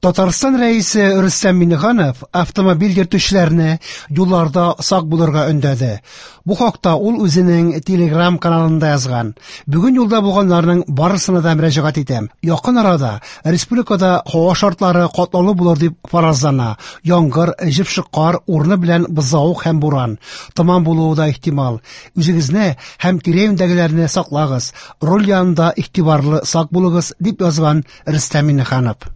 Татарстан Рәисе Рөстәм Миңнеханов автомобиль йөртүчеләрне юлларда сак булырга өндәде. Бу хакта ул үзенең Telegram каналында язган. Бүген юлда булганнарның барысына да мөрәҗәгать итәм. Якын арада республикада һава шартлары катлаулы булыр дип фаразлана. Яңгыр, җепшек кар, урыны белән бозлавык һәм буран. Томан булуы да ихтимал. Үзегезне һәм тирә-юньдәгеләрне саклагыз. Руль янында игътибарлы, сак булыгыз, дип язган Рөстәм Миңнеханов.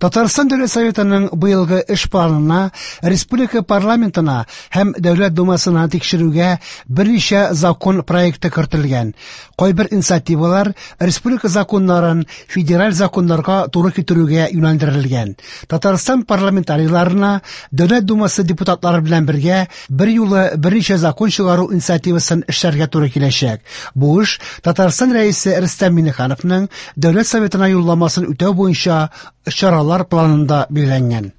Татарстан Дәүләт Советының быелгы эш планына республика парламентына һәм Дәүләт Думасына тикшерүгә берничә закон проекты кертелгән. Кайбер инициативалар республика законнарын федераль законнарга туры китерүгә юнәлдерелгән. Татарстан парламентарийларына Дәүләт Думасы депутатлары белән бергә берьюлы берничә закон чыгару инициативасын эшләргә туры киләчәк. Бу эш Татарстан Рәисе Рөстәм Миңнехановның Дәүләт Советына юлламасын үтәү буенча чаралар планында билгеләнгән.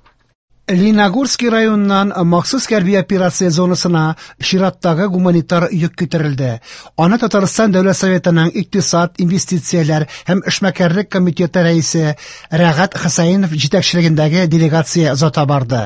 Лениногорский районыннан махсус хәрби операция зонасына чираттагы гуманитар йөк китерелде. Аны Татарстан Дәүләт Советының икътисад, инвестицияләр һәм эшмәкәрлек комитеты рәисе Рәгать Хәсәенов җитәкчелегендәге делегация озата барды.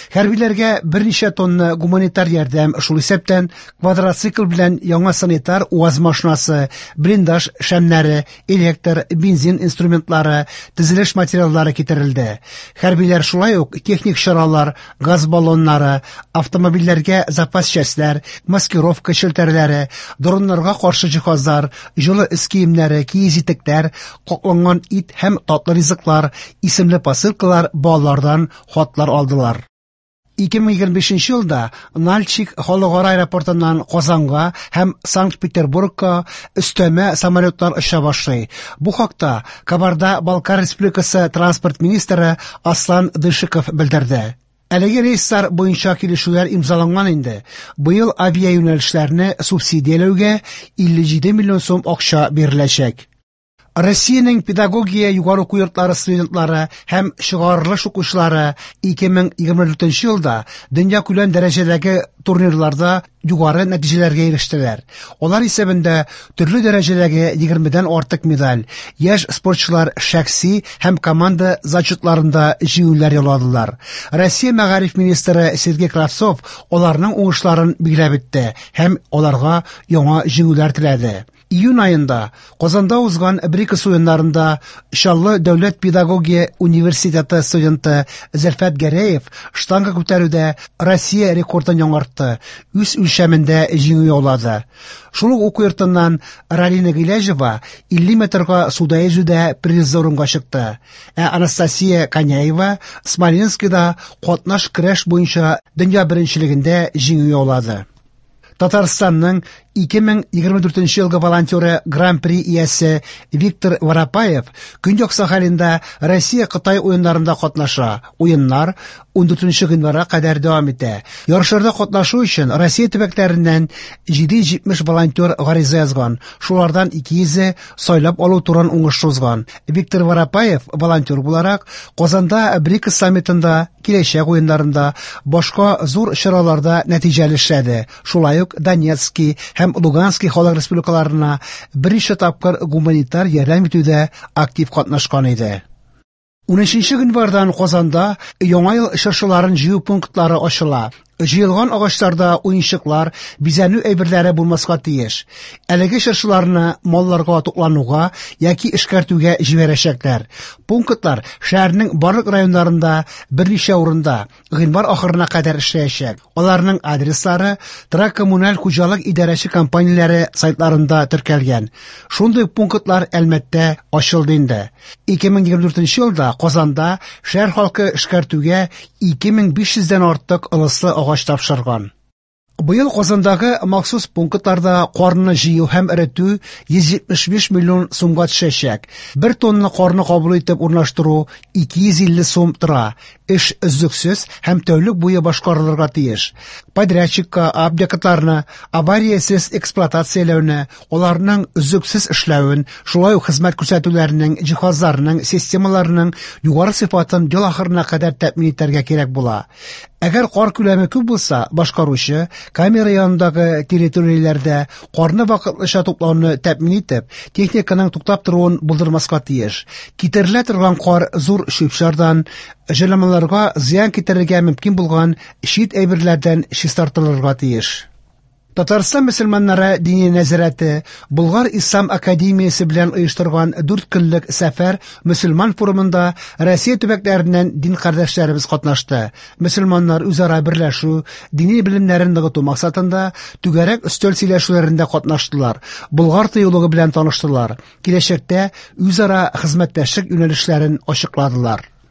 Хәрбиләргә берничә тонна гуманитар ярдәм, шул исәптән квадроцикл белән яңа санитар УАЗ машинасы, блиндаж шәмнәре, электр, бензин инструментлары, төзелеш материаллары китерелде. Хәрбиләр шулай ук техник чаралар, газ баллоннары, автомобильләргә запас частьләр, маскировка челтәрләре, дроннарга каршы җиһазлар, җылы өс киемнәре, киез итекләр, какланган ит һәм татлы ризыклар исемле посылкалар, балалардан хатлар алдылар. 2025 елда Нальчик халыкара аэропортыннан Казанга һәм Санкт-Петербургка өстәмә самолетлар оча башлый. Бу хакта Кабарда-Балкар Республикасы транспорт министры Аслан Дышиков белдерде. Әлеге рейслар буенча килешүләр имзаланган инде. Быел авиаюнәлешләрне субсидияләүгә 57 миллион сум акча биреләчәк. Россиянең педагогия югары уку йортлары студентлары һәм чыгарылыш укучылары 2024 елда дөньякүләм дәрәҗәдәге турнирларда югары нәтиҗәләргә ирештеләр. Алар исәбендә төрле дәрәҗәдәге 20-дән артык медаль, яшь спортчылар шәхси һәм команда зачетларында җиңүләр яуладылар. Россия мәгариф министры Сергей Кравцов аларның уңышларын билгеләп үтте һәм аларга яңа җиңүләр теләде. Июнь аенда Казанда узган БРИКС уеннарында Чаллы дәүләт педагогия университеты студенты Зөлфәт Гәрәев штанга күтәрүдә Россия рекордын яңартты, үз үлчәмендә җиңү яулады. Шул ук уку йортыннан Ралина Гыйләҗева 50 метрга суда йөзүдә призлы урынга чыкты. Ә Анастасия Коняева Смоленскида катнаш көрәш буенча дөнья беренчелегендә җиңү яулады. Татарстанның 2024 елгы волонтеры Гран-при иясе Виктор Воропаев Көньяк Сахалинда Россия-Кытай уеннарында катнаша. Уеннар 14 гыйнварга кадәр дәвам итә. Ярышларда катнашу өчен Россия төбәкләреннән 770 волонтер гариза язган. Шулардан 200-е сайлап алу турын уңышлы узган. Виктор Воропаев волонтер буларак Казанда БРИКС саммитында, киләчәк уеннарында, башка зур чараларда нәтиҗәле эшләде. Шулай ук Донецки һәм Лугански халык республикаларына берничә тапкыр гуманитар ярдәм итүдә актив катнашкан иде. 13 гыйнвардан Казанда Яңа ел чыршыларын җыю пунктлары ачыла. Җыелган агачларда уенчыклар, бизәнү әйберләре булмаска тиеш. Әлеге чыршыларны малларга туклануга яки эшкәртүгә җибәрәчәкләр. Пунктлар шәһәрнең барлык районнарында берничә урында гыйнвар ахырына кадәр эшләячәк. Аларның адреслары торак-коммуналь хуҗалык идарәче компанияләре сайтларында теркәлгән. Шундый пунктлар Әлмәттә ачылды инде. 2024 елда Казанда шәһәр халкы эшкәртүгә 2500 дән артык ылыслы агач тапшырган. Быел Казандагы махсус пунктларда карны җыю һәм эретү 175 миллион сумга төшәчәк. Бер тонна карны кабул итеп урнаштыру 250 сум тора. Эш өзлексез һәм тәүлек буе башкарылырга тиеш. Подрядчикка объектларны авариясез эксплуатацияләүне, аларның өзлексез эшләвен, шулай ук хезмәт күрсәтүләренең, җиһазларының, системаларының югары сыйфатын ел ахырына кадәр тәэмин итәргә кирәк була. Әгәр кар күләме күп булса, башкаручы Камера янындагы территорияләрдә карны вакытлыча туплауны тәэмин итеп, техниканың туктап торуын булдырмаска тиеш. Китерелә торган кар зур чүп-чардан, җайланмаларга зыян китерергә мөмкин булган чит әйберләрдән чистартылырга тиеш. Татарстан мөселманнары Диния нәзарәте Болгар ислам академиясе белән оештырган дүрт көнлек сәфәр мөселман форумында Россия төбәкләреннән дин кардәшләребез катнашты. Мөселманнар үзара берләшү, дини белемнәрен ныгыту максатында түгәрәк өстәл сөйләшүләрендә катнаштылар, Болгар тыюлыгы белән таныштылар, киләчәктә үзара хезмәттәшлек юнәлешләрен ачыкладылар.